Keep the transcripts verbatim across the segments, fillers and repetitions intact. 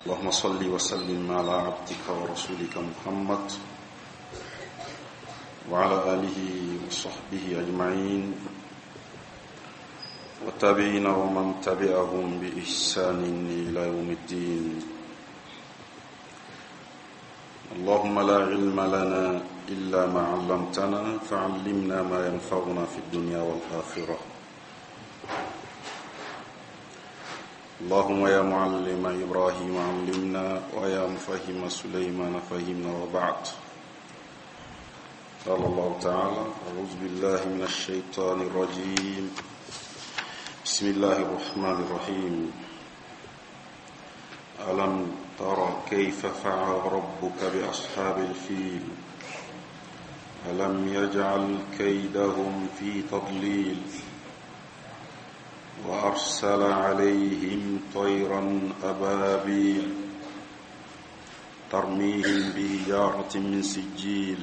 اللهم صل وسلم على عبدك ورسولك محمد وعلى آله وصحبه أجمعين والتابعين ومن تبعهم بإحسان إلى يوم الدين. اللهم لا علم لنا إلا ما علمتنا فعلمنا ما ينفعنا في الدنيا والآخرة. اللهم يا معلم إبراهيم علمنا ويا مفهم سليمان فهمنا وبعد. قال الله تعالى: أعوذ بالله من الشيطان الرجيم، بسم الله الرحمن الرحيم. ألم تر كيف فعل ربك بأصحاب الفيل ألم يجعل كيدهم في تضليل وأرسل عليهم طيرا أبابيل ترميهم بحجارة من سجيل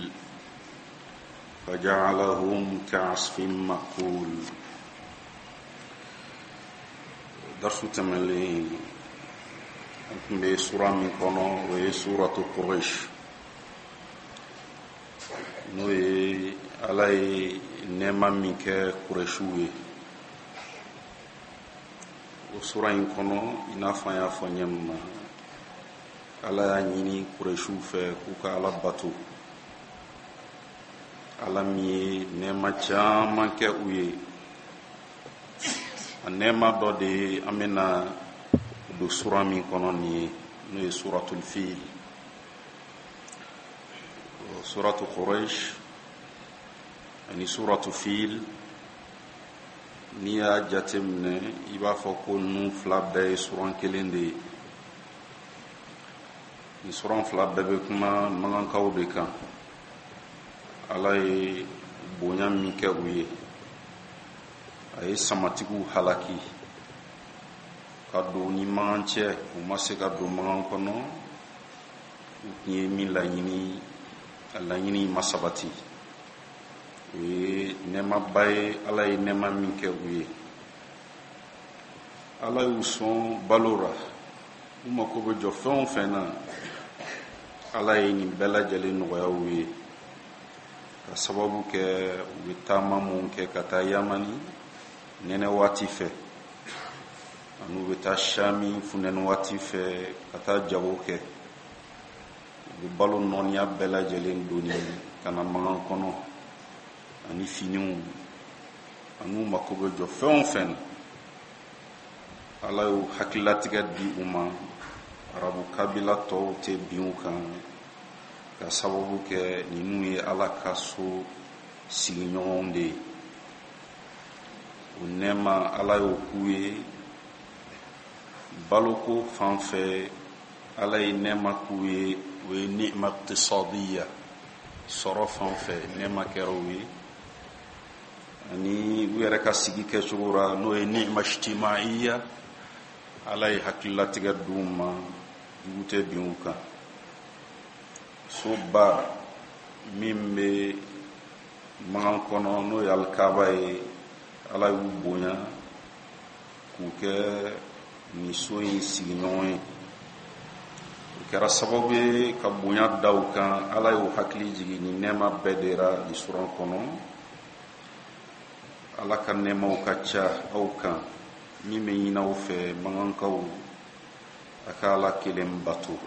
فجعلهم كعصف مأكول. درس تملين بسورة من كونو وهي سورة قريش n'o ye Ala ye nɛɛma min kɛ Kurɛsiw ye. O sura in kɔnɔ, i n'a fɔ an y'a fɔ ɲɛ min ma, Ala y'a ɲini Kurɛsiw fɛ k'u ka Ala bato, Ala min ye nɛɛma caman kɛ u ye. A nɛɛma dɔ de ye an bɛna don sura min kɔnɔ nin ye, n'o ye suratul fil. Suratu Quraysh ani suratu fil, n'i y'a jateminɛ i b'a fɔ ko ninnu fila bɛɛ ye suran kelen de ye. Nin suran fila bɛɛ bɛ kuma magankaw de kan. Ala ye bonya min kɛ u ye, a ye samatigiw halaki ka don ni magan cɛ, u ma se ka don magan kɔnɔ, u tun ye min laɲini, a laɲini ma sabati. O ye nɛɛmaba ye, Ala ye nɛɛma min kɛ u ye. Ala y'u sɔn balo ra, u mako bɛ jɔ fɛn o fɛn na, Ala ye nin bɛɛ lajɛlen nɔgɔya u ye, ka sababu kɛ u bɛ taama mun kɛ ka taa Yamani nɛnɛ waati fɛ, ani u bɛ taa Shami funtɛni waati fɛ ka taa jago kɛ. U bɛ balo nɔniya bɛɛ lajɛlen doni ka na magan kɔnɔ, ani finiw, ani u mako bɛ jɔ fɛn o fɛn na. Ala y'u hakililatigɛ di u ma, arabu kabila tɔw tɛ bin u kan, ka sababu kɛ ninnu ye Ala ka so sigiɲɔgɔnw de ye. O nɛɛma Ala y'o k'u ye. Baloko fan fɛ, Ala ye nɛɛma k'u ye, o ye ni'ma iqtisadiya, sɔrɔ fan fɛ nɛɛma kɛra u ye, ani u yɛrɛ ka sigi kɛcogo ra, n'o ye ni'ma ijtimaiya, Ala ye hakililatigɛ d'u ma, jugu tɛ bin u kan. Soba min bɛ magan kɔnɔ, n'o ye Alikaba ye, Ala y'u bonya k'u kɛ nin so in sigiɲɔgɔn ye. O kɛra sababu ye ka bonya da u kan. Ala y'u hakili jigin nin nɛɛma bɛɛ de ra nin suran kɔnɔ. Ala ka nɛɛmaw ka ca aw kan, min bɛ ɲini aw fɛ magankaw, a ka Ala kelen bato.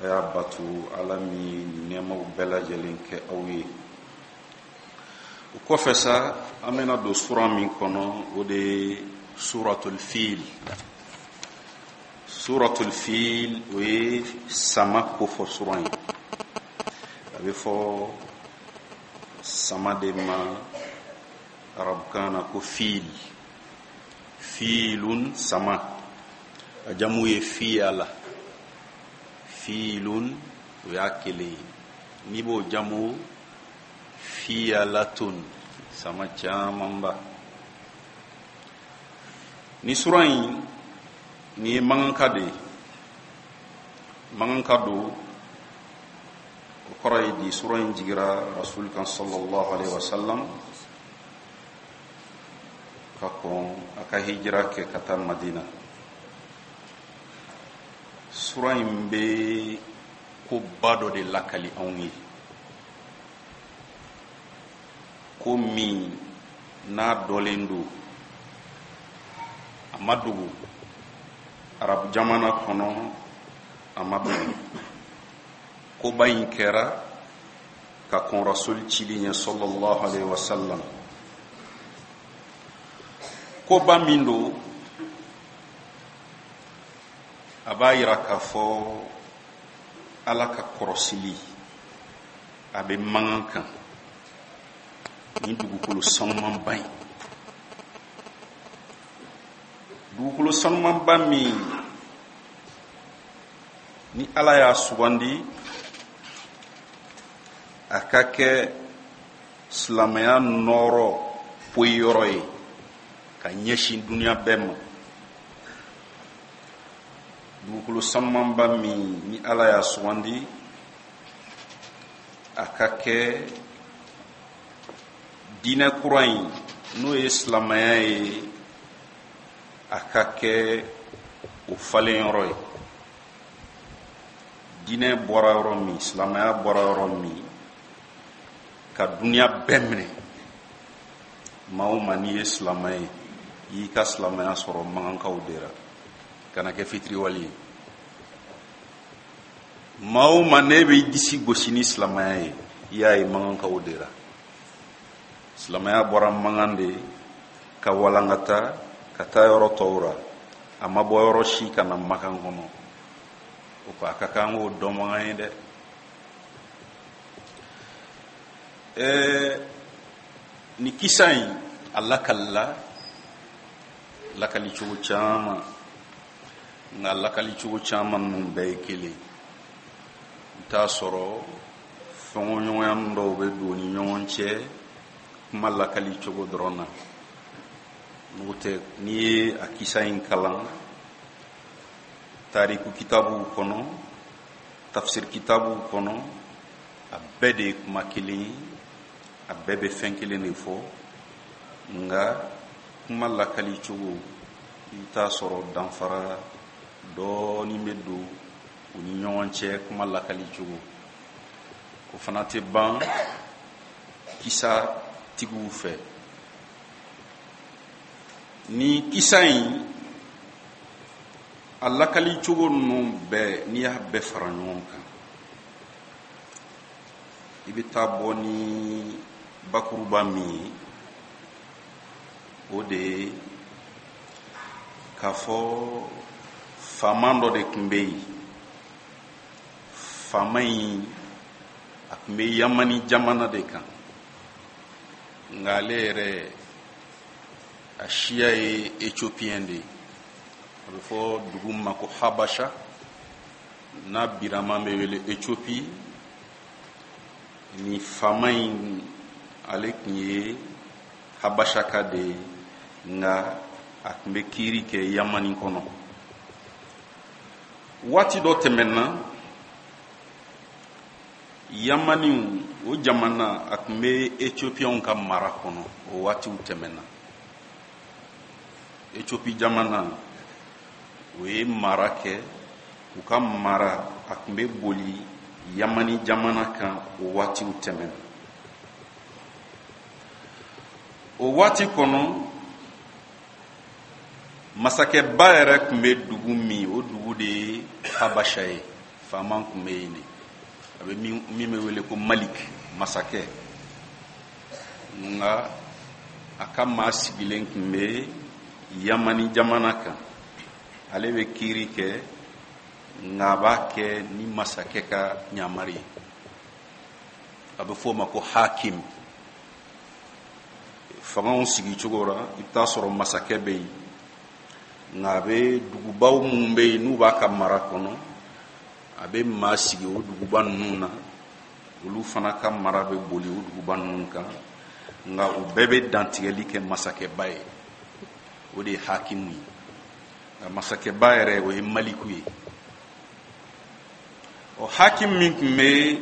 A y'a bato Ala min ye nin nɛɛmaw bɛɛ lajɛlen kɛ aw ye. O kɔfɛ sa, an bɛna don sura min kɔnɔ, o de ye suratul fil. Suratul fil, o ye sama kofɔ suran ye. A bɛ fɔ sama de ma arabukan na ko fil. Filun, sama, a jamu ye fiyala. Filun, o y'a kelen ye. N'i b'o jamu fiyalatun, sama camanba. Ni sura in, nin ye maganka de ye. Maganka don, o kɔrɔ ye di, sura in jigira Rasul kan sallallahu alaihi wasallam ka kɔn a ka hijira kɛ ka taa Madina. Sura in bɛ koba dɔ de lakali anw ye, ko min n'a dɔlen don, a ma dogo arabu jamana kɔnɔ, a ma dogo. Koba in kɛra ka kɔn rasuli cili ɲɛ sallallahu alaihi wasallam. Koba min don, a b'a yira k'a fɔ Ala ka kɔrɔsili a bɛ mankan kan ni dugukolo sanumanba in, dugukolo sanumanba min ni Ala y'a sugandi a ka kɛ silamɛya nɔɔrɔ poyiyɔrɔ ye ka ɲɛsin duniya bɛɛ ma. Dugukolo sanumanba min ni Ala y'a sugandi a ka kɛ diinɛ kura in n'o ye silamɛya ye, a ka kɛ o falenyɔrɔ ye. Diinɛ bɔra yɔrɔ min, silamɛya bɔra yɔrɔ min, ka duniya bɛɛ minɛ. Maa o maa n'i ye silamɛ ye, i y'i ka silamɛya sɔrɔ makankaw de la, kana kɛ fitiriwale ye. Maa o maa n'e b'i disi gosi ni silamɛya ye, i y'a ye makankaw de la. Silamɛya bɔra mankan de ka walankata ka taa yɔrɔ tɔw la, a ma bɔ yɔrɔ si ka na makan kɔnɔ. O ko a ka kan k'o dɔnbaga ye dɛ. Ɛɛ ni kisa in a lakalila lakali cogo caman, nka lakali cogo caman ninnu bɛɛ ye kelen. I bɛ t'a sɔrɔ fɛnkɔɲɔgɔnya dɔw bɛ don ni ɲɔgɔn cɛ kuma lakali cogo dɔrɔn na. N'o tɛ, n'i ye a kisa in kalan tariku kitabuw kɔnɔ, tafsir kitabuw kɔnɔ, a bɛɛ de ye kuma kelen ye, a bɛɛ bɛ fɛn kelen de fɔ, nka kuma lakali cogo i bɛ t'a sɔrɔ danfara dɔɔnin bɛ don u ni ɲɔgɔn cɛ kuma lakali cogo. O fana tɛ ban kisa tigiw fɛ. Ni kisa in a lakali cogo ninnu bɛɛ, n'i y'a bɛɛ fara ɲɔgɔn kan, i bɛ taa bɔ ni bakuruba min ye, o de ye k'a fɔ faama dɔ de tun bɛ yen. Faama in a tun bɛ Yamani jamana de kan, nka ale yɛrɛ a siya ye Éthiopien de ye. A bɛ fɔ dugu min ma ko Habasha, n'a birama bɛ wele Éthiopie. Ni faama in ale tun ye Habashaka de ye, nka a tun bɛ kiiri kɛ Yamani kɔnɔ. Waati dɔ tɛmɛna, Yamaniw o jamana a tun bɛ Éthiopienw ka mara kɔnɔ. O waatiw tɛmɛna. Éthiopie jamana o ye mara kɛ, u ka mara a tun bɛ boli Yamani jamana kan. O waatiw tɛmɛna. O waati kɔnɔ, masakɛba yɛrɛ tun bɛ dugu min, o dugu de ye Habasha ye. Faama tun bɛ yen de, a bɛ min bɛ wele ko Malik, masakɛ. Nka a ka maa sigilen tun bɛ Yamani jamana kan. Ale bɛ kiiri kɛ, nka a b'a kɛ ni masakɛ ka ɲamari ye. A bɛ f'o ma ko hakim. Fangaw sigi cogo la, i bɛ taa sɔrɔ masakɛ bɛ yen, nka a bɛ dugubaw minnu bɛ yen n'u b'a ka mara kɔnɔ, a bɛ maa sigi o duguba ninnu na, olu fana ka mara bɛ boli o duguba ninnu kan, nka u bɛɛ bɛ dantigɛli kɛ masakɛba ye. O de ye hakimu ye. Nka masakɛba yɛrɛ o ye maliku ye. Ɔ hakim min tun bɛ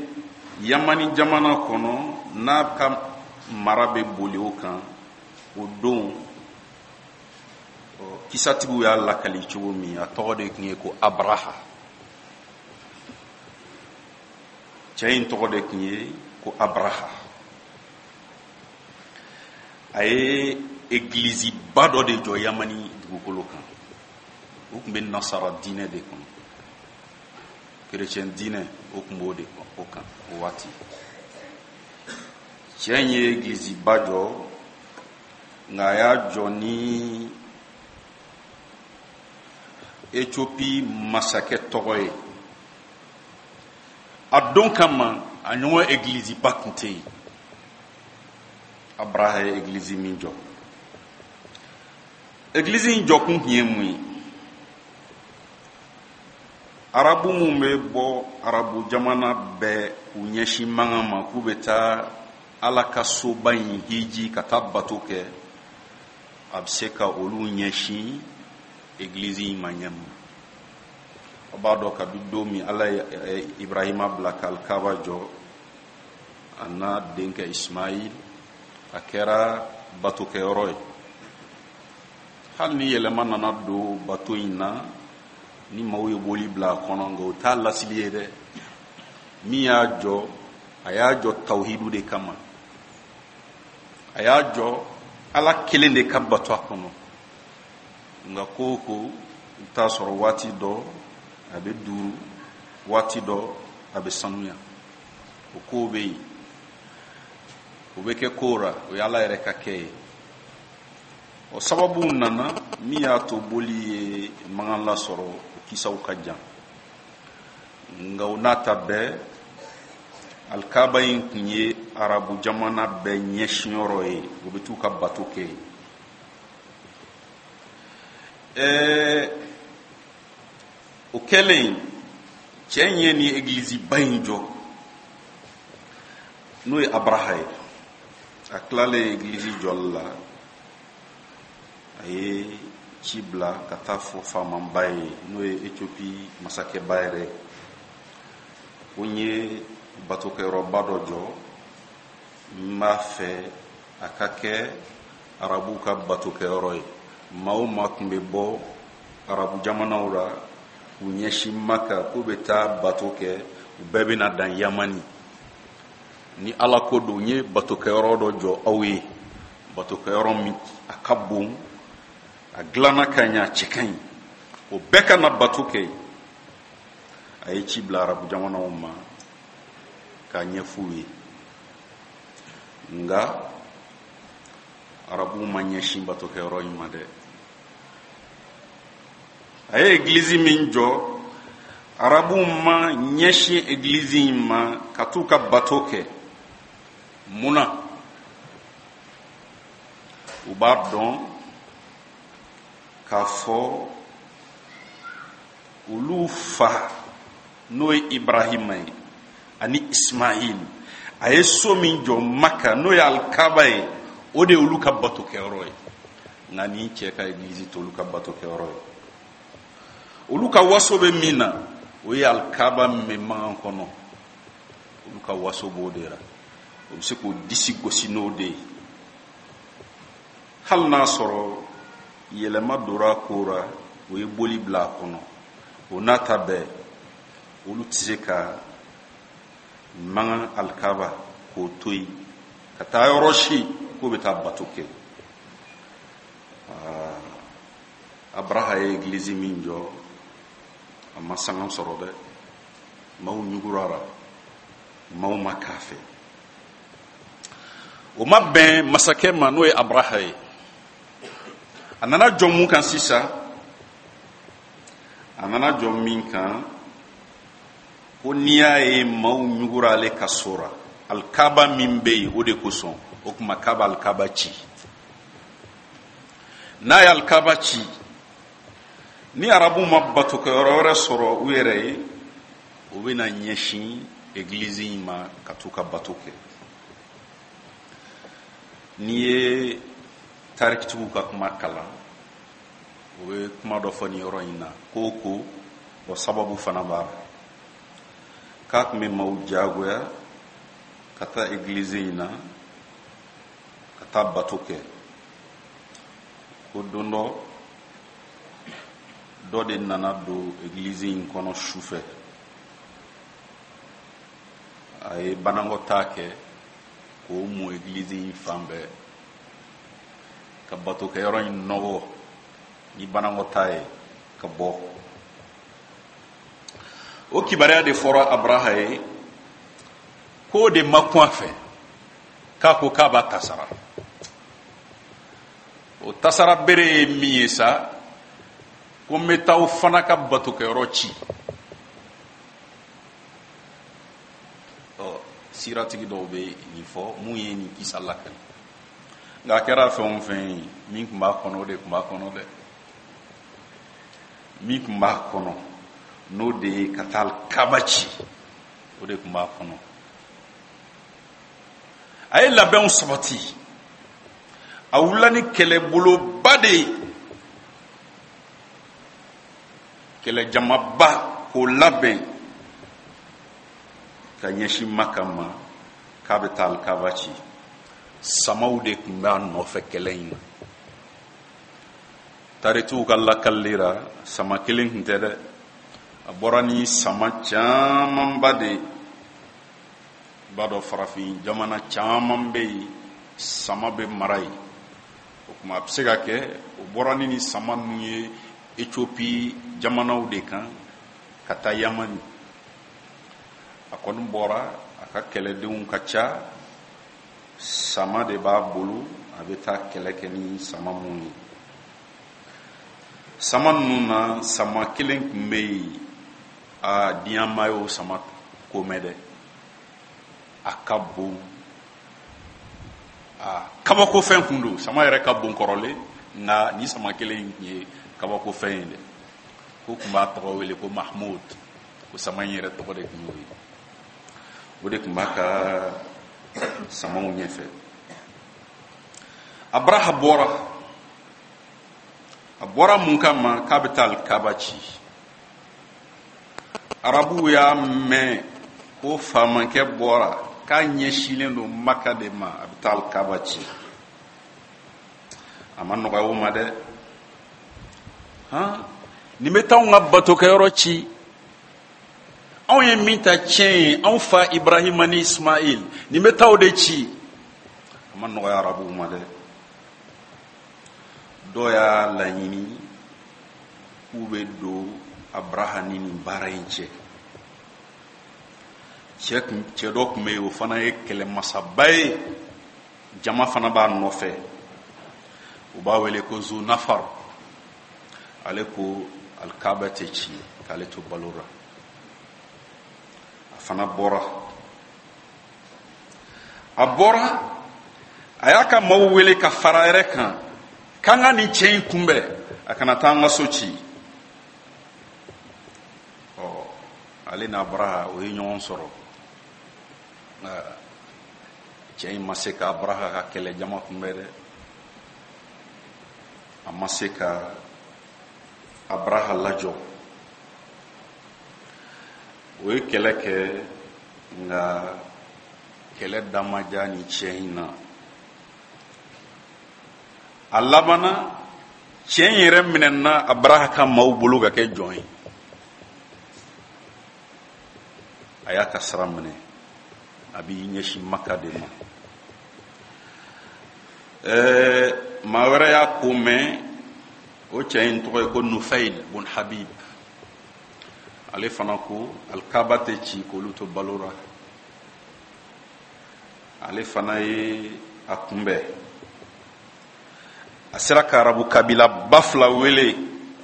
Yamani jamana kɔnɔ, n'a ka mara bɛ boli o kan, o don kisatigiw y'a lakali cogo min, a tɔgɔ de tun ye ko Abraha. Cɛ in tɔgɔ de tun ye ko Abraha. A ye egiliziba dɔ de jɔ Yamani dugukolo kan. O tun bɛ nasara diinɛ de kɔnɔ, kerecɛn diinɛ o tun b'o de o kan o waati. Cɛ in ye egiliziba jɔ, nka a y'a jɔ ni Ethiopie masakɛ tɔgɔ ye. A don kama a ɲɔgɔn egiliziba tun tɛ yen. Abraha ye egilizi min jɔ, egilizi in jɔkun tun ye mun ye? Arabu mun bɛ bɔ arabu jamana bɛɛ k'u ɲɛsin Makan ma k'u bɛ taa Ala ka soba in hiji ka taa bato kɛ, a bɛ se ka olu ɲɛsin egilizi in ma ɲɛ ma. A b'a dɔn kabi don min Ala ye Ibrahima bila ka Alikaba jɔ, a n'a denkɛ Ismail, a kɛra batokɛyɔrɔ ye. Hali ni yɛlɛma nana don bato in na, ni maaw ye boli bila a kɔnɔ, nka o t'a lasili ye dɛ. Min y'a jɔ, a y'a jɔ tawhidu de kama, a y'a jɔ Ala kelen de ka bato a kɔnɔ. Nka ko o ko, i bɛ t'a sɔrɔ waati dɔ a bɛ duuru, waati dɔ a bɛ sanuya. O kow bɛ yen, o bɛ kɛ ko ra, o ye Ala yɛrɛ ka kɛ ye. O sababuw nana min y'a to boli ye mankan lasɔrɔ, o kisaw ka jan. Nka o n'a ta bɛɛ, Alikaba in tun ye arabu jamana bɛɛ ɲɛsinyɔrɔ ye, u bɛ t'u ka bato kɛ yen. Ɛɛ o kɛlen, cɛ in ye nin egiliziba in jɔ, n'o ye Abraha ye. A tilalen egilizi jɔli la, a ye ci bila ka taa fɔ faamaba ye, n'o ye Ethiopie masakɛba yɛrɛ ye, ko n ye batokɛyɔrɔba dɔ jɔ, n b'a fɛ a ka kɛ arabuw ka batokɛyɔrɔ ye. Maa o maa tun bɛ bɔ arabu jamanaw la k'u ɲɛsin Maka k'u bɛ taa bato kɛ, u bɛɛ bɛna dan Yamani. Ni Ala ko don, n ye batokɛyɔrɔ dɔ jɔ aw ye, batokɛyɔrɔ min a ka bon, a dilanna ka ɲɛ, a cɛ ka ɲi, o bɛɛ ka na bato kɛ. A ye ci bila arabu jamanaw ma k'a ɲɛf'u ye, nka arabuw ma ɲɛsin batokɛyɔrɔ in ma dɛ. A ye egilizi min jɔ, arabuw ma ɲɛsin egilizi in ma ka t'u ka bato kɛ. Mun na? U b'a dɔn k'a fɔ olu fa, n'o ye Ibrahima ye, ani Ismail, a ye so min jɔ Maka, n'o ye Alikaba ye, o de ye olu ka batokɛyɔrɔ ye. Nka nin cɛ ka egilizi t'olu ka batokɛyɔrɔ ye. Olu ka waso bɛ min na, o ye Alikaba min bɛ Makan kɔnɔ, olu ka waso b'o de la. O bɛ se k'o disi gosi n'o de ye. Hali n'a sɔrɔ yɛlɛma donna ko ra, o ye boli bila a kɔnɔ, o n'a ta bɛɛ, olu tɛ se ka Makan Alikaba k'o to yen ka taa yɔrɔ si k'o bɛ taa bato kɛ. Abraha ye egilizi min jɔ, a ma sanga sɔrɔ dɛ. Maaw ɲugurara, maaw ma k'a fɛ. O ma bɛn masakɛ ma, n'o ye Abraha ye. A nana jɔ mun kan sisan? A nana jɔ min kan, ko n'i y'a ye maaw ɲugura ale ka so ra, Alikaba min bɛ yen, o de kosɔn. O tuma k'a bɛ Alikaba ci. N'a ye Alikaba ci, ni arabuw ma batokɛyɔrɔ wɛrɛ sɔrɔ u yɛrɛ ye, u bɛna ɲɛsin egilizi in ma ka t'u ka bato kɛ. N'i ye tarikitigiw ka kuma kalan, o bɛ kuma dɔ fɔ nin yɔrɔ in na, ko ko o sababu fana b'a la, k'a tun bɛ maaw diyagoya ka taa egilizi in na ka taa bato kɛ. Ko don dɔ, dɔ de nana don egilizi in kɔnɔ su fɛ. A ye banakɔtaa kɛ k'o mun egilizi in fan bɛɛ, ka batokɛyɔrɔ in nɔgɔ ni banakɔtaa ye ka bɔ. O kibaruya de fɔra Abraha ye k'o de ma kun a fɛ, k'a ko k'a b'a tasara. O tasara bere ye min ye sa, ko n bɛ taa aw fana ka batokɛyɔrɔ ci. Ɔ, siratigi dɔw bɛ nin fɔ mun ye nin kisa lakali, nka a kɛra fɛn o fɛn ye, min tun b'a kɔnɔ o de tun b'a kɔnɔ dɛ. Min tun b'a kɔnɔ n'o de ye ka taa Kaba ci, o de tun b'a kɔnɔ. A ye labɛnw sabati, a wulila ni kɛlɛboloba de ye, kɛlɛjamaba k'o labɛn ka ɲɛsin Maka ma k'a bɛ taa Alikaba ci. Samaw de tun b'a nɔfɛ kɛlɛ in na. Taritiw ka lakali la, sama kelen tun tɛ dɛ, a bɔra ni sama camanba de ye. I b'a dɔn farafin jamana caman bɛ yen, sama bɛ mara yen. O tuma a bɛ se ka kɛ o bɔra ni ni sama ninnu ye Ethiopie jamanaw de kan ka taa Yamani. A kɔni bɔra, a ka kɛlɛdenw ka ca, sama de b'a bolo, a bɛ taa kɛlɛ kɛ ni sama mun ye. Sama ninnu na, sama kelen tun bɛ yen, a diɲɛ maa y'o sama ko mɛn dɛ. A ka bon, a kabakofɛn kun don. Sama yɛrɛ ka bon kɔrɔlen, nka ni sama kelen in tun ye kabakofɛn ye dɛ. Ko tun b'a tɔgɔ wele ko Mahmoud, ko sama in yɛrɛ tɔgɔ de tun y'o ye. O de tun b'a ka samaw ɲɛfɛ. Abraha bɔra, a bɔra mun kama? K'a bɛ taa Alikaba ci. Arabuw y'a mɛn ko faamankɛ bɔra k'a ɲɛsinnen don Maka de ma, a bɛ taa Alikaba ci. A ma nɔgɔya o ma dɛ. Han, nin bɛ taa anw ka batokɛyɔrɔ ci, anw ye min ta tiɲɛ ye, anw fa Ibrahima ni Ismail, nin bɛ taa o de ci. A ma nɔgɔya arabuw ma dɛ. Dɔw y'a laɲini k'u bɛ don Abraha ni nin baara in cɛ. Cɛ kun, cɛ dɔ tun bɛ yen, o fana ye kɛlɛmasaba ye, jama fana b'a nɔfɛ, u b'a wele ko Zunafar. Ale ko Alikaba tɛ ci k'ale to balo la. A fana bɔra, a bɔra, a y'a ka maaw wele ka fara a yɛrɛ kan k'an ka nin cɛ in kunbɛn, a kana taa an ka so ci. Ɔ, ale n'a Abraha o ye ɲɔgɔn sɔrɔ. Cɛ in ma se ka Abraha ka kɛlɛjama kunbɛn dɛ, a ma se ka Abraha lajɔ. O ye kɛlɛ kɛ, nka kɛlɛ da ma diya nin cɛ in na. A labanna, cɛ in yɛrɛ minɛna Abraha ka maaw bolo ka kɛ jɔn ye. A y'a ka sira minɛ, a b'i ɲɛsin Maka de ma. Ɛɛ, maa wɛrɛ y'a ko mɛn, o cɛ in tɔgɔ ye ko Nufayil bun Habib. Ale fana ko Alikaba tɛ ci k'olu to balo la. Ale fana ye a kunbɛn. A sera ka arabu kabila ba fila wele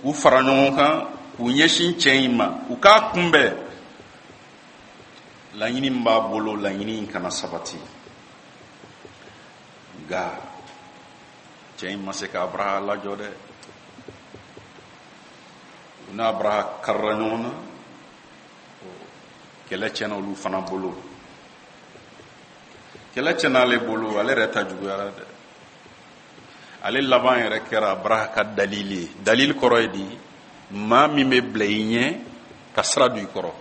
k'u fara ɲɔgɔn kan k'u ɲɛsin cɛ in ma, u k'a kunbɛn. Laɲini min b'a bolo, laɲini in kana sabati. Nka cɛ in ma se ka Abraha lajɔ dɛ. U n'a Abraha karila ɲɔgɔn na, kɛlɛ tiɲɛna olu fana bolo. Kɛlɛ tiɲɛna ale bolo, ale yɛrɛ ta juguyara dɛ. Ale laban yɛrɛ kɛra Abraha ka dalili ye. Dalili kɔrɔ ye di? Maa min bɛ bila i ɲɛ ka sira don i kɔrɔ.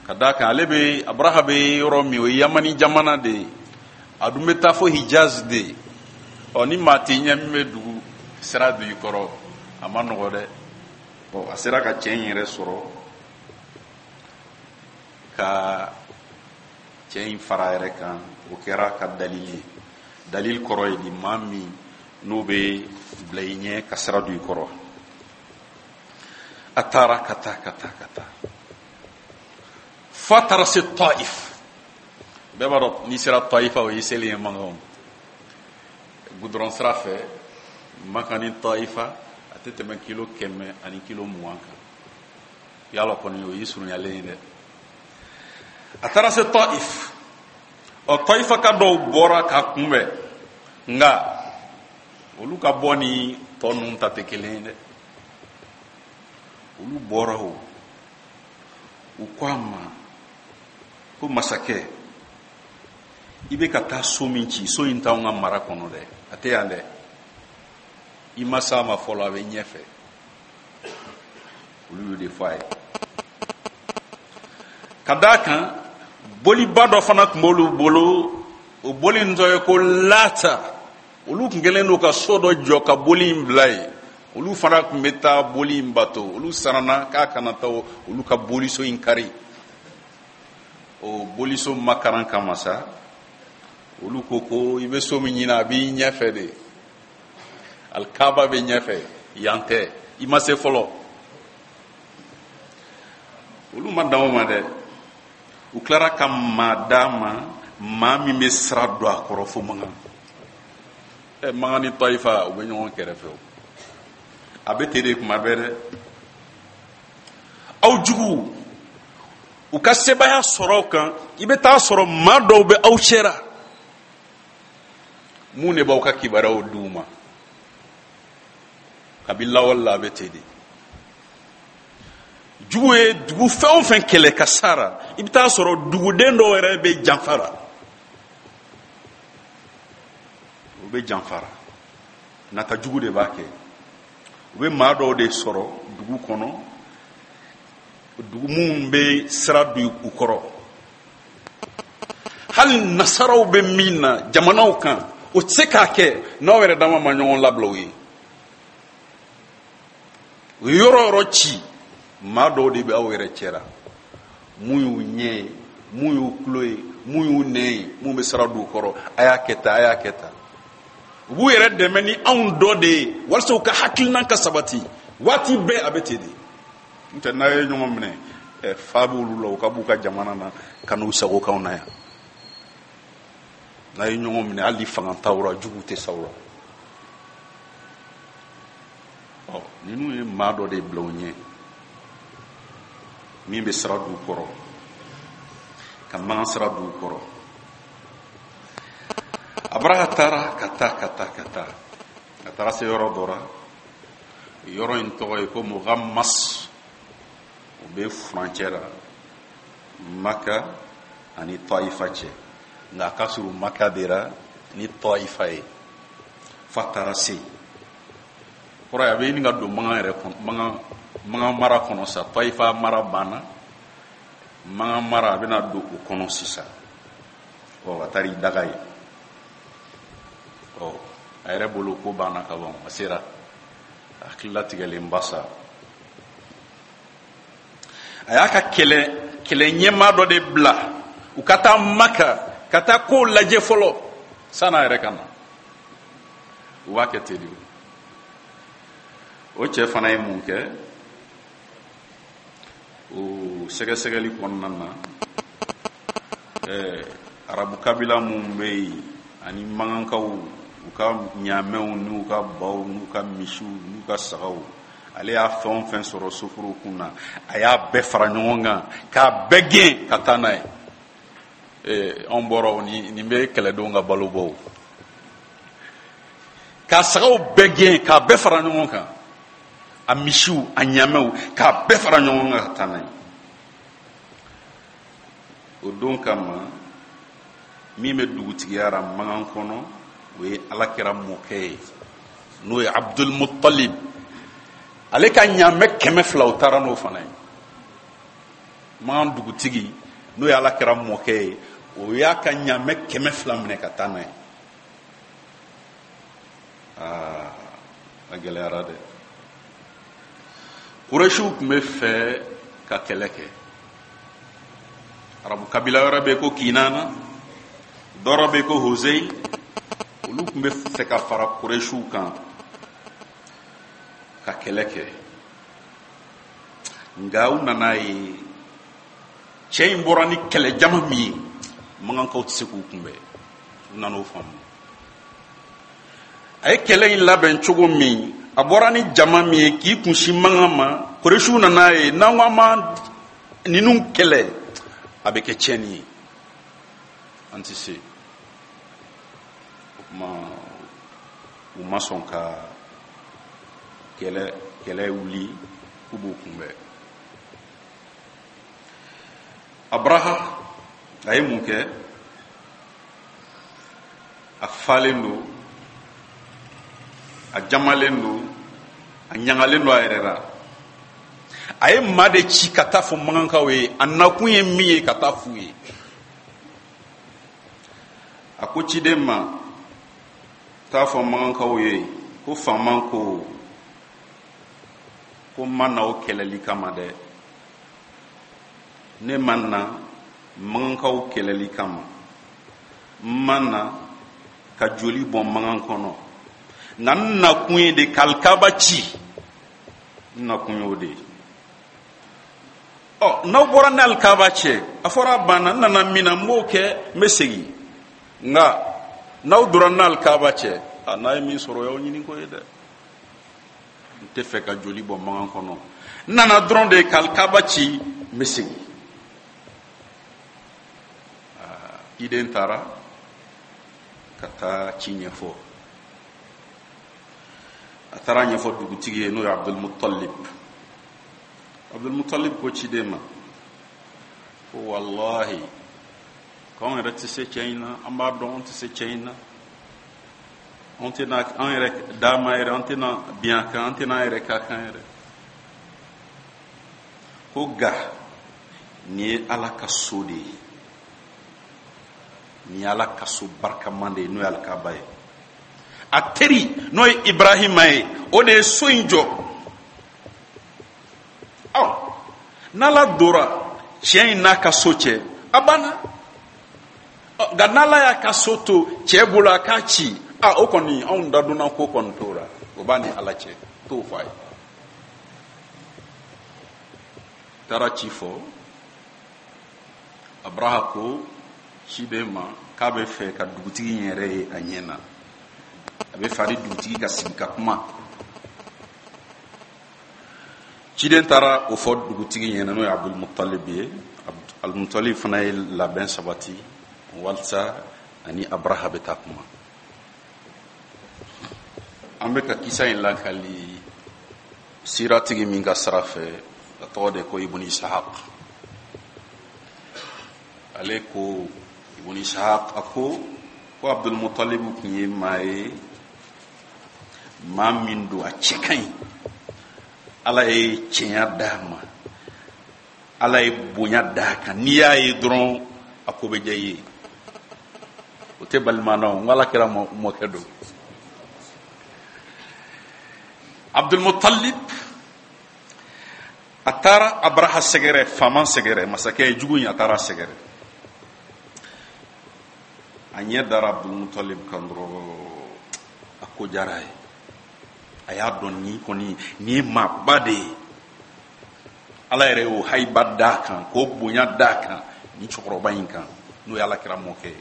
Ka d'a kan ale bɛ, Abraha bɛ yɔrɔ min, o ye Yamani jamana de ye. A dun bɛ taa fo Hijaz de ye. Ɔ, ni maa t'i ɲɛ min bɛ dugu sira don i kɔrɔ, a ma nɔgɔ dɛ. Ɔ, a sera ka cɛ in yɛrɛ sɔrɔ ka Cɛ in fara yɛrɛ kan, o kɛra ka dalili ye. Dalil kɔrɔ ye di, maa min n'o bɛ bila i ɲɛ ka sira don i kɔrɔ. A taara ka taa ka taa ka taa f'a taara se Taif. Bɛɛ b'a dɔn n'i sera Taifa, o y'i selen ye Makan. Gudɔrɔn sira fɛ, Makan ni Taifa a tɛ tɛmɛ kilo kɛmɛ ani kilo mugan kan. Yala kɔni o y'i surunyalen ye dɛ. A taara se Taif. Ɔ, Taifa ka dɔw bɔra k'a kunbɛn, nka olu ka bɔ ni tɔ ninnu ta tɛ kelen ye dɛ. Olu bɔra o, u ko a ma ko masakɛ, i bɛ ka taa so min ci, so in t'anw ka mara kɔnɔ dɛ, a tɛ yan dɛ, i ma s'a ma fɔlɔ, a bɛ ɲɛfɛ. Olu y'o de fɔ a ye. Ka d'a kan boliba dɔ fana tun b'olu bolo, o boli in tɔgɔ ye ko Lata. Olu tun kɛlen don ka so dɔ jɔ ka boli in bila yen. Olu fana tun bɛ taa boli in bato. Olu siranna k'a kana taa olu ka boliso in kari. O boliso makaran kama sa, olu ko ko i bɛ so min ɲini, a b'i ɲɛfɛ de, alikaba bɛ ɲɛfɛ, yan tɛ, i ma se fɔlɔ. Olu ma dan o ma dɛ, u tilara ka maa d'a ma, maa min bɛ sira don a kɔrɔ fo Makan. Ɛ, Makan ni Taifa u bɛ ɲɔgɔn kɛrɛfɛ o, a bɛ ten de kuma bɛɛ dɛ. Aw juguw u ka sebaaya sɔrɔ aw kan, i bɛ taa sɔrɔ maa dɔw bɛ aw cɛra mun de b'aw ka kibaruyaw d'u ma. Kabi lawale la a bɛ ten de. Jugu ye dugu fɛn o fɛn kɛlɛ ka sara, i bɛ taa sɔrɔ duguden dɔw yɛrɛ bɛ janfara, u bɛ janfara, nata jugu de b'a kɛ. U bɛ maa dɔw de sɔrɔ dugu kɔnɔ, dugu minnu bɛ sira don u kɔrɔ. Hali nasaraw bɛ min na jamanaw kan, o tɛ se k'a kɛ n'aw yɛrɛ dama ma ɲɔgɔn labila u ye. U ye yɔrɔ yɔrɔ ci, maa dɔw de bɛ aw yɛrɛ cɛra, mun y'u ɲɛ ye, mun y'u tulo ye, mun y'u nɛn ye, mun bɛ sira don u kɔrɔ, a y'a kɛ tan, a y'a kɛ tan. U b'u yɛrɛ dɛmɛ ni anw dɔ de ye walasa u ka hakilina ka sabati. Waati bɛɛ a bɛ ten de. N'o tɛ n'a ye ɲɔgɔn minɛ, ɛ, fa b'olu la, u ka b'u ka jamana na ka n'u sago k'anw na yan. N'a ye ɲɔgɔn minɛ, hali fanga t'aw la, jugu tɛ s'aw la. Ɔ, ninnu ye maa dɔ de bila u ɲɛ min bɛ sira d'u kɔrɔ, ka Makan sira d'u kɔrɔ. A bɔra ka taara ka taa ka taa ka taa, a taara se yɔrɔ dɔ la. Yɔrɔ in tɔgɔ ye ko Muhammas. O bɛ furancɛ la Maka ani Taifa cɛ, nka a ka surun Maka de la ni Taifa ye. F'a taara se kɔrɔ ye, a bɛ ɲini ka don Makan yɛrɛ kɔnɔ, Makan, Makan mara kɔnɔ sa. Taifa mara banna, Makan mara a bɛna don o kɔnɔ sisan. Ɔ, a taara i daga ye. Ɔ, a yɛrɛ bolo ko banna ka ban, a sera a hakililatigɛlen ba sa. A y'a ka kɛlɛ, kɛlɛ ɲɛmaa dɔ de bila u ka taa Maka ka taa kow lajɛ fɔlɔ san'a yɛrɛ ka na. U b'a kɛ ten de. O cɛ fana ye mun kɛ? O sɛgɛsɛgɛli kɔnɔna na, ɛɛ, arabu kabila minnu bɛ yen ani makankaw, u ka ɲaamɛw n'u ka baw n'u ka misiw n'u ka sagaw, ale y'a fɛn o fɛn sɔrɔ sofuruw kun na, a y'a bɛɛ fara ɲɔgɔn kan k'a bɛɛ gɛn ka taa n'a ye. Ee, anw bɔra o ni nin bɛ kɛlɛdenw ka balo bɔ o. K'a sagaw bɛɛ gɛn k'a bɛɛ fara ɲɔgɔn kan, a misiw a ɲaamɛw k'a bɛɛ fara ɲɔgɔn kan ka taa n'a ye. O don kama, min bɛ dugutigiya la Makan kɔnɔ, o ye Alakira mɔkɛ ye, n'o ye Abdul Muttalib. Ale ka ɲaamɛ kɛmɛ fila, o taara n'o fana ye. Makan dugutigi, n'o ye Alakira mɔkɛ ye, o y'a ka ɲaamɛ kɛmɛ fila minɛ ka taa n'a ye. Aa, a gɛlɛyara dɛ. Kurɛsiw tun bɛ fɛ ka kɛlɛ kɛ. Arabu kabila wɛrɛ bɛ yen ko Kinana, dɔ bɛ yen ko Hozei. Olu tun bɛ fɛ ka fara Kuresiw kan ka kɛlɛ kɛ, nka u nana ye cɛ in bɔra ni kɛlɛjama min ye, Makankaw tɛ se k'u kunbɛn. U nana o faamu. A ye kɛlɛ in labɛn cogo min, a bɔra ni jama min ye k'i kunsin Makan ma, Kuresiw nana ye n'an ko an ma ninnu kɛlɛ, a bɛ kɛ tiɲɛni ye, an tɛ se. O tuma u ma sɔn ka kɛlɛ kɛlɛ wuli k'u b'u kunbɛn. Abraha a ye mun kɛ? A falen don, a jamalen don, a ɲagalen don a yɛrɛ la. A ye maa de ci ka taa fɔ Makankaw ye, a nakun ye min ye ka taa f'u ye. A ko ciden ma, taa fɔ Makankaw ye ko faama ko ko n ma na o kɛlɛli kama dɛ, ne ma na Makankaw kɛlɛli kama, n ma na ka joli bɔn Makan kɔnɔ, nka n nakun ye de ka Alikaba ci, n nakun y'o de ye. Ɔ, n'aw bɔra ni Alikaba cɛ, a fɔra a banna, n nana min na n b'o kɛ, n bɛ segin. Nka n'aw donna ni Alikaba cɛ, a n'a ye min sɔrɔ o y'aw ɲini ko ye dɛ. N tɛ fɛ ka joli bɔn Makan kɔnɔ, n nana dɔrɔn de ka Alikaba ci, n bɛ segin. Ciden taara ka taa ci ɲɛfɔ. A taara ɲɛfɔ dugutigi ye, n'o ye Abdulmutalib. Abdulmutalib ko ciden ma ko walahi k'anw yɛrɛ tɛ se cɛ in na, an b'a dɔn an tɛ se cɛ in na, an tɛna an yɛrɛ d'a ma yɛrɛ, an tɛna bin a kan, an tɛna an yɛrɛ k'a kan yɛrɛ. Ko nka nin ye Ala ka so de ye, nin ye Ala ka so barikaman de ye, n'o ye Alikaba ye. A teri n'o ye Ibrahima ye, o de ye so in jɔ. Ɔ, n'Ala dora cɛ in n'a ka so cɛ, a banna. Ɔ, nka n'Ala y'a ka so to cɛ bolo a k'a ci, a o kɔni anw dadonna ko kɔni t'o la, o b'a ni Ala cɛ, t'o fɔ a ye. Taara ci fɔ Abraha ko ciden ma k'a bɛ fɛ ka dugutigi in yɛrɛ ye a ɲɛ na, a bɛ fɛ ani dugutigi ka sigi ka kuma. Ciden taara o fɔ dugutigi ɲɛna, n'o ye Abdulmutalib ye. Abdulmutalib fana ye labɛn sabati walasa ani Abraha bɛ taa kuma. An bɛ ka kisa in lakali siratigi min ka sira fɛ, a tɔgɔ de ko Ibn Ishaq. Ale ko Ibn Ishaq, a ko ko Abdulmutalib tun ye maa ye, maa min don a cɛ ka ɲi, Ala ye cɛnya d'a ma, Ala ye bonya d'a kan, n'i y'a ye dɔrɔn a ko bɛ diya i ye. O tɛ balima na o, n ko Ala kɛra mɔkɛ don. Abdulmutalib a taara Abraha sɛgɛrɛ, faama sɛgɛrɛ, masakɛ jugu in, a taara sɛgɛrɛ. A ɲɛ dara Abdulmutalib kan dɔrɔn, a ko diyara a ye. A y'a dɔn nin kɔni nin ye maaba de ye. Ala yɛrɛ y'o hayiba d'a kan, k'o bonya d'a kan nin cɛkɔrɔba in kan, n'o ye Ala kira mɔkɛ ye.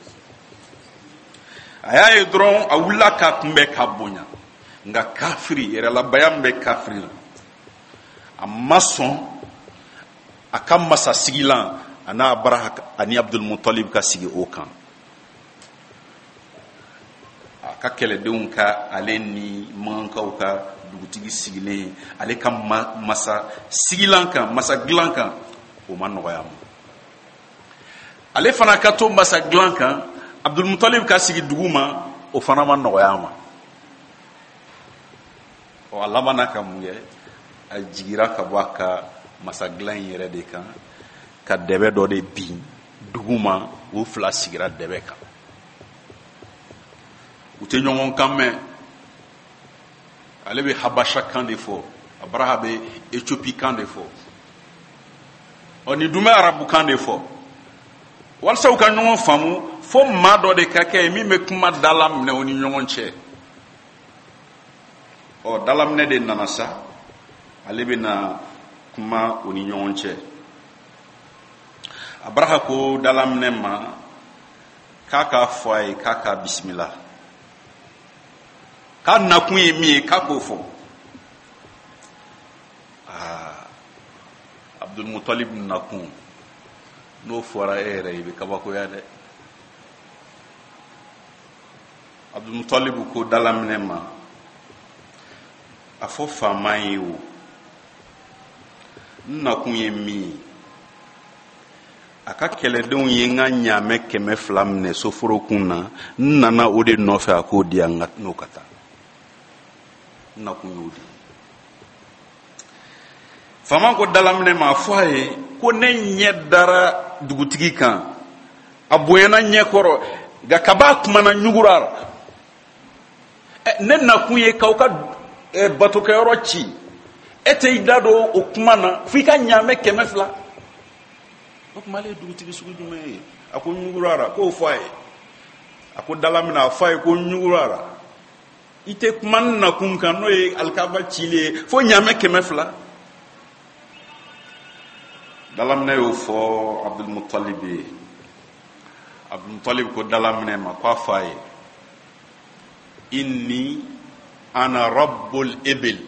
A y'a ye dɔrɔn a wulila k'a kunbɛn k'a bonya. Nka kafiri yɛrɛlabaya min bɛ kafiri la, a ma sɔn a ka masasigilan a n'a Abraha ani Abdulmutalib ka sigi o kan. A ka kɛlɛdenw ka ale ni Makankaw ka dugutigi sigilen ale ka masa sigilan kan, masa dilan kan, o ma nɔgɔya ma. Ale fana ka to masa dilan kan, Abdulmutalib ka sigi dugu ma, o fana ma nɔgɔya ma. Ɔ, a labanna ka mun kɛ? A jigira ka bɔ a ka masa dilan in yɛrɛ de kan, ka dɛbɛ dɔ de bin dugu ma, o fila sigira dɛbɛ kan. U tɛ ɲɔgɔn kan mɛn. Ale bɛ Habasha kan de fɔ, Abraha bɛ Ethiopie kan de fɔ, ɔ nin dun bɛ arabu kan de fɔ. Walasa u ka ɲɔgɔn faamu, fo maa dɔ de ka kɛ yen min bɛ kuma dalaminɛ u ni ɲɔgɔn cɛ. Ɔ, dalaminɛ de nana sa, ale bɛna kuma u ni ɲɔgɔn cɛ. Abraha ko dalaminɛ ma k'a k'a fɔ a ye k'a k'a bisimila, k'a nakun ye min ye k'a k'o fɔ. Aa, Abdulmutalib nakun n'o fɔra e yɛrɛ i bɛ kabakoya dɛ. Abdulmutalib ko dalaminɛ ma, a fɔ faama ye o, n nakun ye min ye, a ka kɛlɛdenw ye n ka ɲaamɛ kɛmɛ fila minɛ soforokun na, n nana o de nɔfɛ a k'o di yan n'o ka taa. N nakun y'o de ye. Faama ko dalaminɛ ma, a fɔ a ye ko ne ɲɛ dara dugutigi kan, a bonyana ɲɛkɔrɔ, nka kab'a kumana ɲugura la. Ne nakun ye k'aw ka batokɛyɔrɔ ci, e tɛ i da don o kuma na f'i ka ɲaamɛ kɛmɛ fila. O tuma ale ye dugutigi sugu jumɛn ye? A ko ɲugura, k'o fɔ a ye. A ko dalaminɛ, a fɔ a ye ko ɲugura, i tɛ kuma n nakun kan n'o ye alikaba cili ye fo ɲaamɛ kɛmɛ fila. Dalaminɛ y'o fɔ Abdulmutalib ye. Abdulmutalib ko dalaminɛ ma k'a fɔ a ye, inni ana rabbul ibil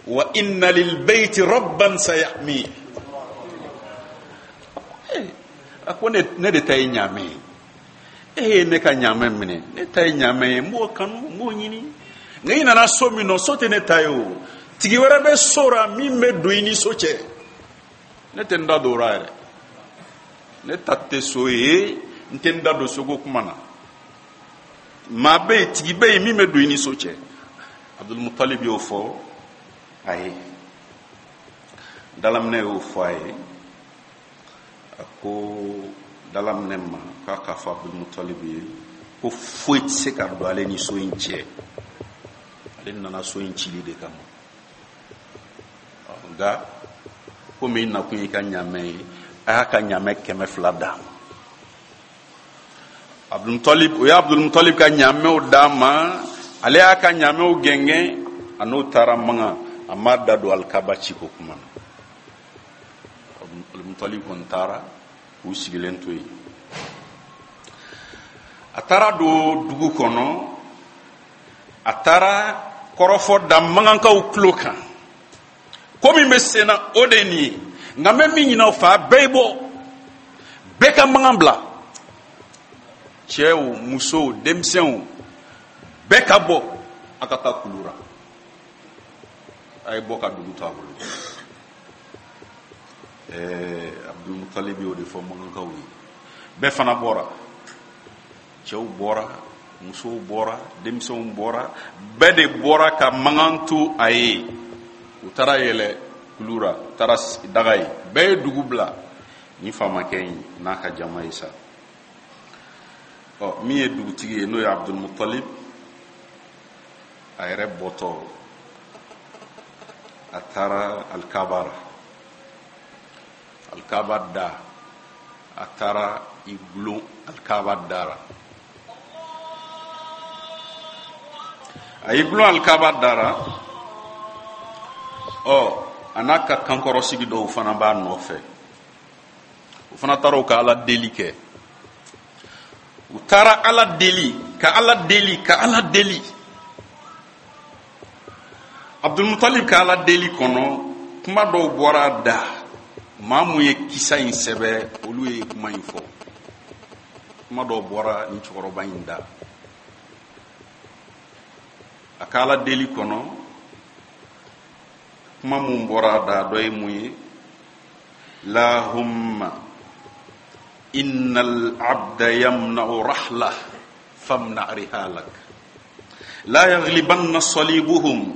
wa inna lil bayti rabban sayahmi. A ko ne de ta ye ɲaamɛ ye, e ye ne ka ɲaamɛ minɛ, ne ta ye ɲaamɛ ye, n b'o kanu, n b'o ɲini. Nka i nana so min nɔ, so tɛ ne ta ye o, tigi wɛrɛ bɛ so la min bɛ don i ni so cɛ. Ne tɛ n da don o la yɛrɛ, ne ta tɛ so ye, n tɛ n da don soko kuma na. Maa bɛ yen, tigi bɛ yen min bɛ don i ni so cɛ. Abdulmutalib y'o fɔ a ye, dalaminɛ y'o fɔ a ye. A ko dalaminɛ ma k'a k'a fɔ Abdulmutalib ye ko foyi tɛ se ka don ale ni so in cɛ, ale nana so in cili de kama. Nka komi i nakun y'i ka ɲaamɛ ye, a y'a ka ɲaamɛ kɛmɛ fila d'a ma. Abdulmutalib, o ye Abdulmutalib ka ɲaamɛw d'a ma, ale y'a ka ɲaamɛw gɛngɛn, a n'o taara Makan, a m'a da don alikaba ciko kuma na. Abdulmutalib kɔni taara k'u sigilen to yen. A taara don dugu kɔnɔ, a taara kɔrɔfɔ da Makankaw tulo kan. Ko min bɛ sen na o de ye nin ye, nka n bɛ min ɲini aw fɛ, a bɛɛ ye bɔ, bɛɛ ka Makan bila, cɛw, musow, denmisɛnw, bɛɛ ka bɔ, a ka taa kulu la, a ye bɔ ka dugu to a bolo. Ɛɛ, Abdulmutalib y'o de fɔ Makankaw ye. Bɛɛ fana bɔra, cɛw bɔra, musow bɔra, denmisɛnw bɔra, bɛɛ de bɔra ka Makan to a ye. U taara yɛlɛ kulu la, taara daga ye, bɛɛ ye dugu bila. Ni faamakɛ in n'a ka jama ye sa. Ɔ, min ye dugutigi ye n'o ye Abdulmutalib, a yɛrɛ bɔtɔ, a taara alikaba la. Alikaba da, a taara i gulon alikaba da la. A y'i gulon alikaba da la, ɔ, a n'a ka kankɔrɔsigi dɔw fana b'a nɔfɛ. U fana taara u ka Ala deli kɛ. U taara Ala deli, ka Ala deli, ka Ala deli. Abdulmutalib ka Ala deli kɔnɔ, kuma dɔw bɔra a da. Maa mun ye kisa in sɛbɛ, olu ye kuma in fɔ. Kuma dɔw bɔra nin cɛkɔrɔba in da. A ka Ala deli kɔnɔ, kuma mun bɔra a da, dɔ ye mun ye? Lahumma innal abda yamna'u rahlah famna rihalak la yaghlibanna salibuhum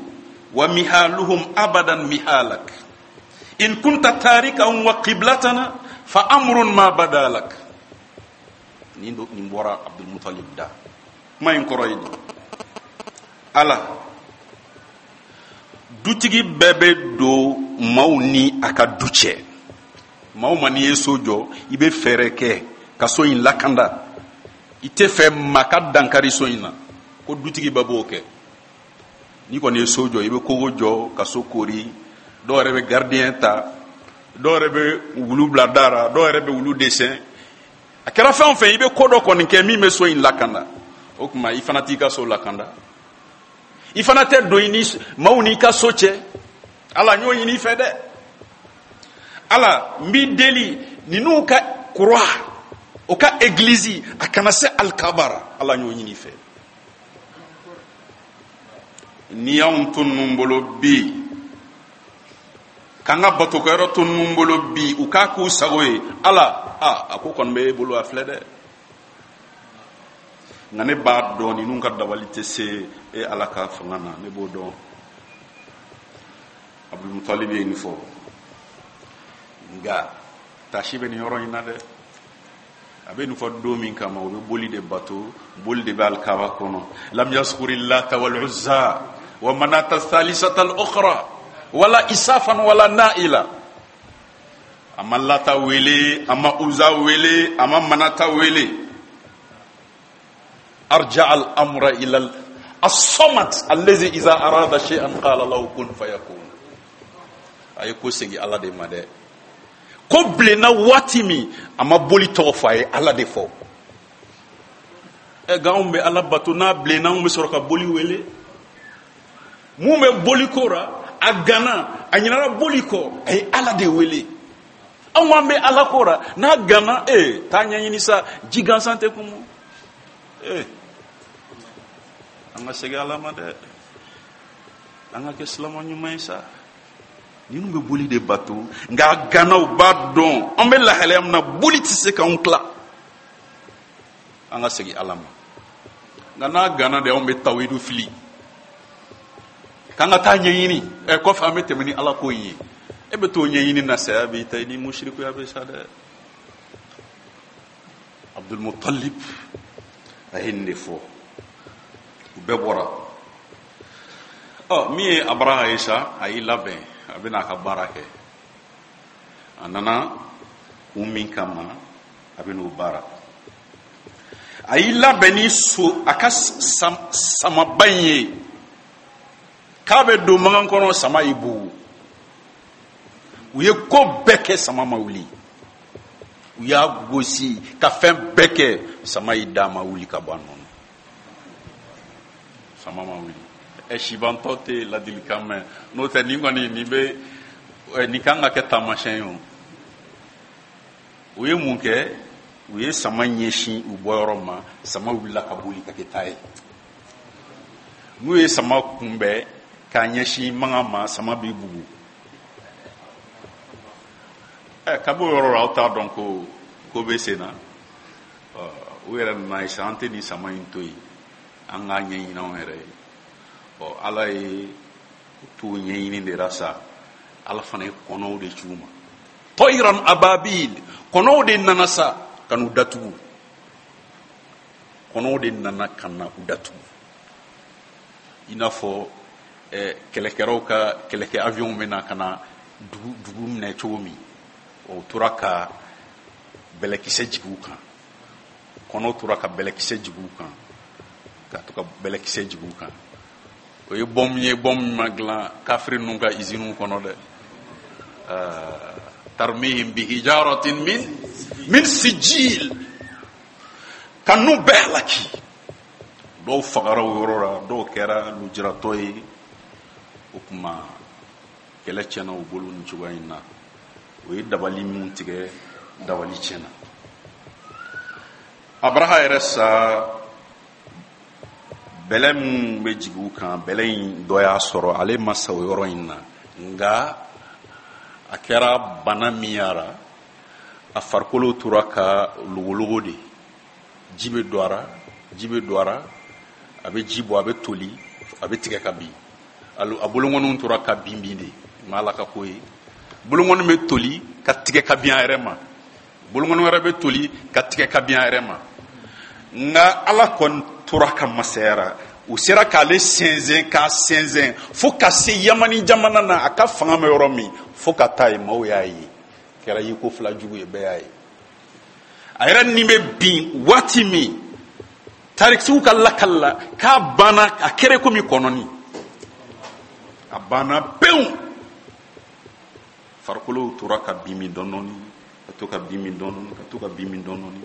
wa mihaluhum abadan mihalak in kunta tarikahum wa qiblatana fa amrun ma badalak. Nin nin bɔra Abdulmutalib da. Kuma in kɔrɔ ye di? Ala, dutigi bɛɛ bɛ don maaw ni a ka du cɛ. Maa o maa n'i ye so jɔ, i bɛ fɛɛrɛ kɛ ka so in lakanda, i tɛ fɛ maa ka dankari so in na, ko dutigi bɛɛ b'o kɛ. N'i kɔni ye so jɔ, i bɛ kogo jɔ ka so kori, dɔw yɛrɛ bɛ gardien ta, dɔw yɛrɛ bɛ wulu bila da la, dɔw yɛrɛ bɛ wulu dessin. A kɛra fɛn o fɛn, i bɛ ko dɔ kɔni kɛ min bɛ so in lakanda. O tuma i fana t'i ka so lakanda, i fana tɛ don i ni maaw n'i ka so cɛ. Ala n y'o ɲini i fɛ dɛ. Ala n b'i deli ninnu ka croix, o ka église, a kana se alikabara. Ala n y'o ɲini i fɛ. N'i y'anw to ninnu bolo bi, k'an ka batokɛyɔrɔ to ninnu bolo bi, u k'a k'u sago ye, Ala a a ko kɔni bɛ e bolo, a filɛ dɛ. Nka ne b'a dɔn ninnu ka dabali tɛ se e Ala ka fanga na, ne b'o dɔn. Abdulmutalib ye nin fɔ, nka taasi bɛ nin yɔrɔ in na dɛ. A bɛ nin fɔ don min kama, u bɛ boli de bato, boli de bɛ alikaba kɔnɔ. Lam yaskuri lata wal uzza wa manata thalisata al ukhra wala isafan wala naila. A ma lata wele, a ma uza wele, a ma manata wele. Arja al amra ila as-samad allazi iza arada shay'an qala lahu kun fayakun. A ye ko segin Ala de ma dɛ. Ko bilenna waati min, a ma boli tɔgɔ fɔ, a ye Ala de fɔ. Ɛ nka anw bɛ Ala bato, n'a bilenna anw bɛ sɔrɔ ka boli wele. Mun bɛ boli ko ra, a gana, a ɲinana boli kɔ, a ye Ala de wele. Anw an bɛ Ala ko ra, n'a gana, ee taa ɲɛɲini sa, ji gansan tɛ kumu. Ee an ka segin Ala ma dɛ, an ka kɛ silama ɲuman ye sa. Ninnu bɛ boli de bato, nka a ganaw b'a dɔn an bɛ lahalaya min na, boli tɛ se k'anw tila. An ka segin Ala ma. Nka n'a gana de, anw bɛ tawidu fili, k'an ka taa ɲɛɲini. Ɛ kɔfɛ an bɛ tɛmɛ ni Ala ko in ye. E bɛ t'o ɲɛɲini na, saya b'i ta, i ni musirikuya bɛ sa dɛ. Abdulmutalib a ye nin de fɔ, u bɛɛ bɔra. Ɔ min ye Abraha ye sa, a y'i labɛn, a bɛna a ka baara kɛ. A nana kun min kama, a bɛn'o baara. A y'i labɛn ni so a ka sam, samaba in ye, k'a bɛ don magan kɔnɔ, sama y'i bugu. U ye ko bɛɛ kɛ, sama ma wuli. U y'a gosi ka fɛn bɛɛ kɛ, sama y'i da, ma wuli ka bɔ a nɔ na. Sama ma wuli. Ɛ sibantɔ tɛ ladilikan mɛn, n'o tɛ nin kɔni nin bɛ nin kan ka kɛ taamasiyɛn ye o. U ye mun kɛ? U ye sama ɲɛsin u bɔyɔrɔ ma, sama wulila ka boli ka kɛ taa ye. N'u ye sama kunbɛn k'a ɲɛsin magan ma, sama b'i bugu. Ɛ kabi o yɔrɔ la, aw t'a dɔn ko ko bɛ sen na. Ɔ u yɛrɛ nana ye sa, an tɛ nin sama in to yen, an k'a ɲɛɲini anw yɛrɛ ye. Ɔ Ala ye t'u ɲɛɲini de la sa, Ala fana ye kɔnɔw de ci u ma. Tɔyiran ababil, kɔnɔw de nana sa ka n'u datugu. Kɔnɔw de nana ka na u datugu. I n'a fɔ ɛ kɛlɛkɛlaw ka kɛlɛkɛ avion bɛ na ka na dugu dugu minɛ cogo min, o tora ka bɛlɛkisɛ jigin u kan. Kɔnɔw tora ka bɛlɛkisɛ jigin u kan, ka to ka bɛlɛkisɛ jigin u kan. O ye bɔmu ye, bɔmu min ma dilan kafiri ninnu ka iziniw kɔnɔ dɛ. Tarmihim bihijaratin min min sijil, ka n'u bɛɛ halaki. Dɔw fagara o yɔrɔ la, dɔw kɛra lujuratɔ ye. O tuma kɛlɛ tiɲɛna u bolo nin cogoya in na. O ye dabali min tigɛ, dabali tiɲɛna. Abraha yɛrɛ sa, bɛlɛ min bɛ jigin u kan, bɛlɛ in dɔ y'a sɔrɔ, ale ma sa o yɔrɔ in na. Nka a kɛra bana min yara, a farikolo tora ka logologo de. Ji bɛ don a ra, ji bɛ don a ra, a bɛ ji bɔ, a bɛ toli, a bɛ tigɛ ka bin. A bolonkɔniw tora ka bin bin de, ma Ala ka ko ye. Bolonkɔni bɛ toli ka tigɛ ka bin a yɛrɛ ma, bolonkɔni wɛrɛ bɛ toli ka tigɛ ka bin a yɛrɛ ma. Nka Ala kɔni tora ka masayara, u sera k'ale sɛnsɛn k'a sɛnsɛn fo ka se Yamani jamana na, a ka fanga bɛ yɔrɔ min, fo ka taa yen, maaw y'a ye. Kɛra yiko fila jugu ye, bɛɛ y'a ye. A yɛrɛ ni bɛ bin waati min, tarikisiw ka lakali la k'a banna, a kɛra komi kɔnɔni, a banna pewu. Farikolo tora ka bin min dɔɔni dɔɔni, ka to ka bin min dɔɔni dɔɔni, ka to ka bin min dɔɔni dɔɔni,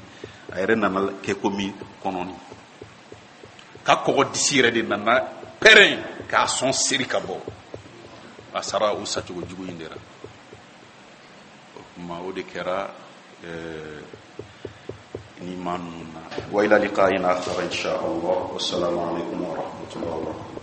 a yɛrɛ nana kɛ komi kɔnɔni ka kɔgɔ disi yɛrɛ de nana pɛrɛn k'a sɔn seri ka bɔ. A sara o sacogo jugu in de la. O tuma, o de kɛra ɛɛ ni maa ninnu na. Wa ila liqa'in akhar insha Allah. Wassalamu alaikum wa rahmatullahi wa barakatuh.